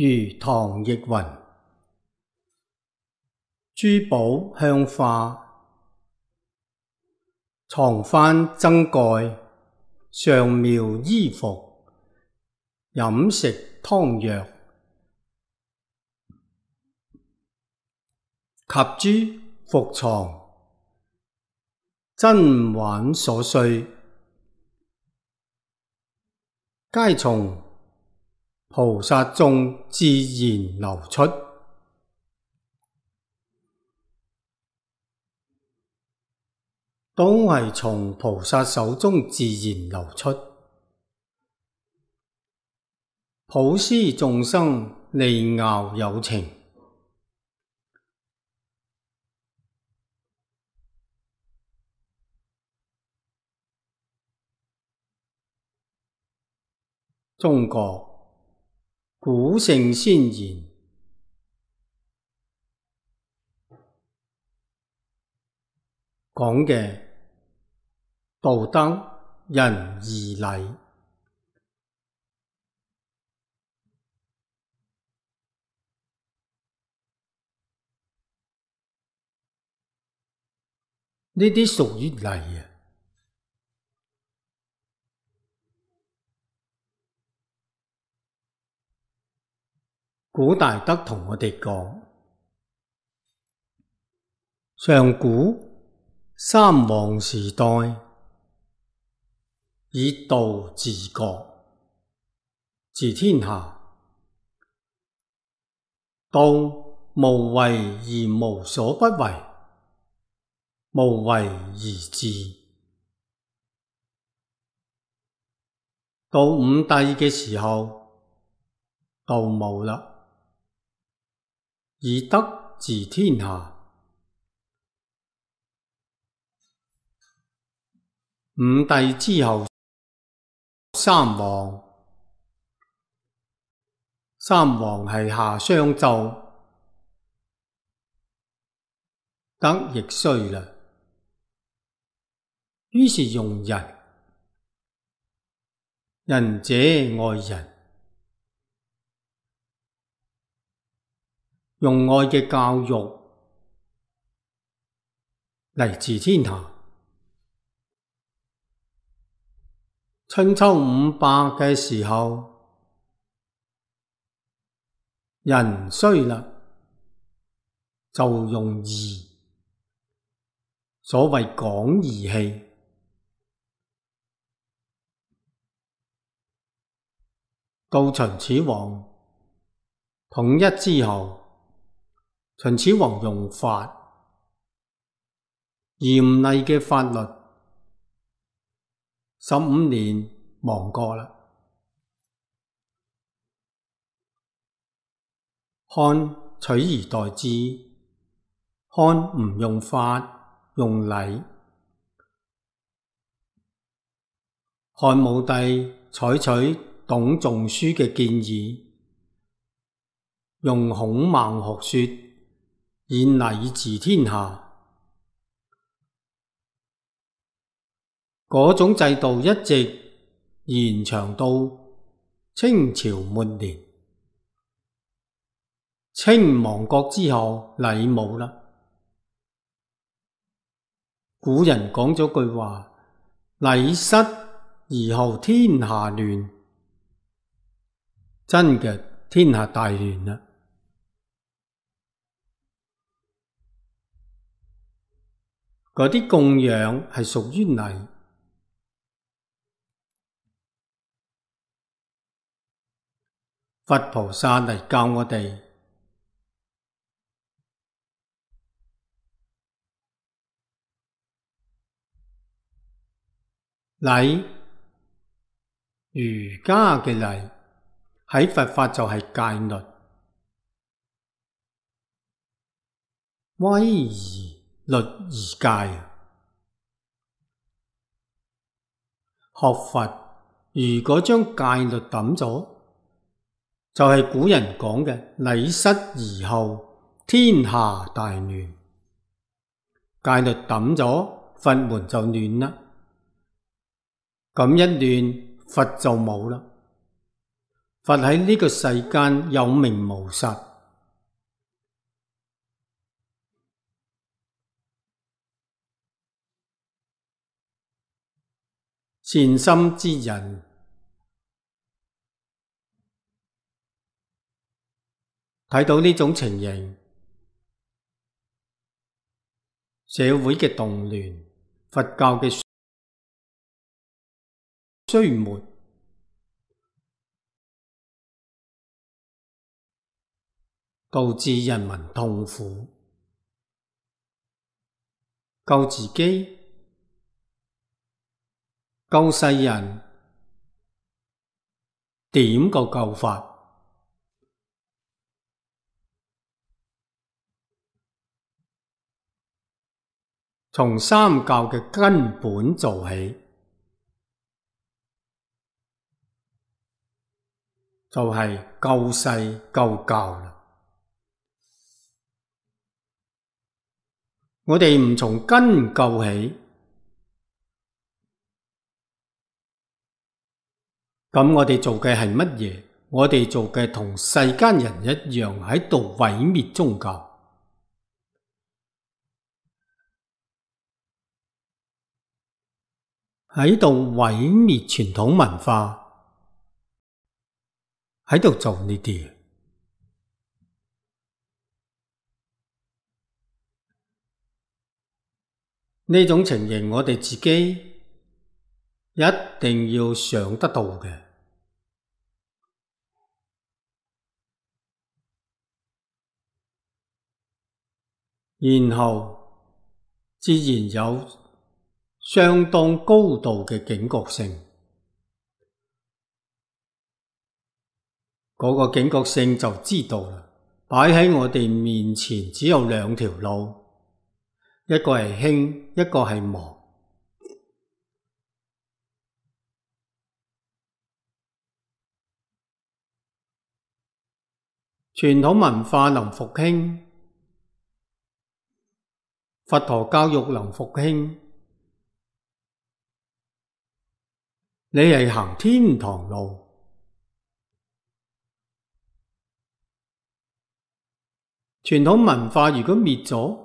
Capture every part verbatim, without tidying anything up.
如唐亦云：珠寶香花，床幡繒蓋，上描衣服，飲食湯藥，及諸伏藏，珍玩所需，皆從菩薩中自然流出。都係從菩薩手中自然流出，普施眾生，利樂有情。中國古聖先賢講嘅道德仁義禮，呢啲屬於禮啊！古大德同我哋講，上古三皇時代以道治國，治天下，道無為而無所不為，無為而治。到五帝嘅時候，道冇啦，以德治天下。五帝之後，三皇，三皇係夏商周，德亦衰啦，於是用仁，仁者愛人，用愛嘅教育嚟治天下。春秋五百嘅時候，仁衰啦，就用義，所謂講義氣。到秦始皇統一之後，秦始皇用法，嚴厲嘅法律，十五年亡國啦。漢取而代之，漢唔用法，用禮。漢武帝採取董仲舒嘅建議，用孔孟學說，以禮治天下。嗰種制度一直延長到清朝末年。清亡國之後，禮冇啦。古人講咗句話：禮失而後天下亂。真嘅，天下大亂啦。嗰啲供養係屬於禮。佛菩薩嚟教我哋，禮，儒家嘅禮，喺佛法就係戒律，威而律而戒。學佛如果將戒律抌咗，就係、是、古人講嘅禮失而後天下大亂。戒律抌咗，佛門就亂啦。咁一亂，佛就冇啦。佛喺呢個世間有名無實，善心之人睇到呢種情形，社會嘅動亂，佛教嘅衰沒，導致人民痛苦，救自己，救世人，點個救法？從三教嘅根本做起，就係救世救教啦。我哋唔從根救起，咁我哋做嘅係乜嘢？我哋做嘅同世間人一樣，喺度毀滅宗教，喺度毀滅傳統文化，喺度做呢啲。呢種情形我哋自己一定要想得到嘅，然後自然有相當高度嘅警覺性。嗰個警覺性就知道啦，擺喺我哋面前只有兩條路，一個係興，一個係亡。傳統文化能復興，佛陀教育能復興，你係行天堂路。傳統文化如果滅咗，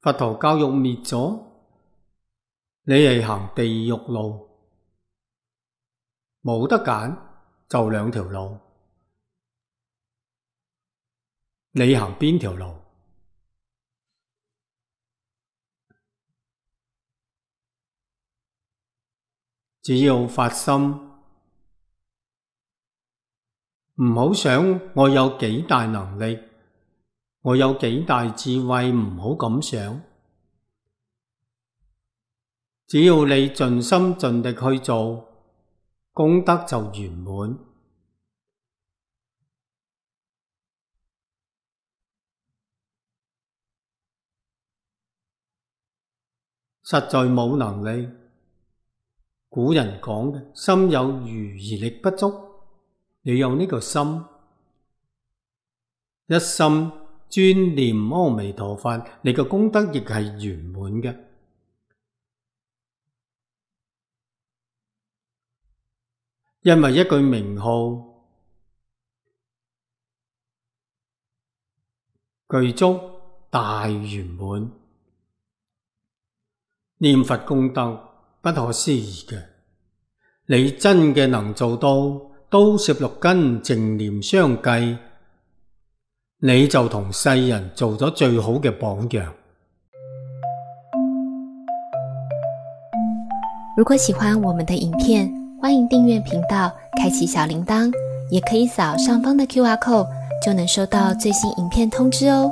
佛陀教育滅咗，你係行地獄路，冇得揀，就兩條路，你行邊條路？只要發心，唔好想我有幾大能力，我有幾大智慧，唔好咁想。只要你盡心盡力去做，功德就圓滿。實在冇能力，古人講嘅心有餘而力不足，你有呢個心，一心專念阿彌陀佛，你嘅功德亦係圓滿嘅。因為一句名號，具足大圓滿，念佛功德不可思議嘅。你真嘅能做到都攝六根淨念相繼，你就同世人做咗最好嘅榜樣。如果喜歡我們的影片，歡迎訂閱頻道，開啟小鈴鐺，也可以掃上方的 Q R code，就能收到最新影片通知哦。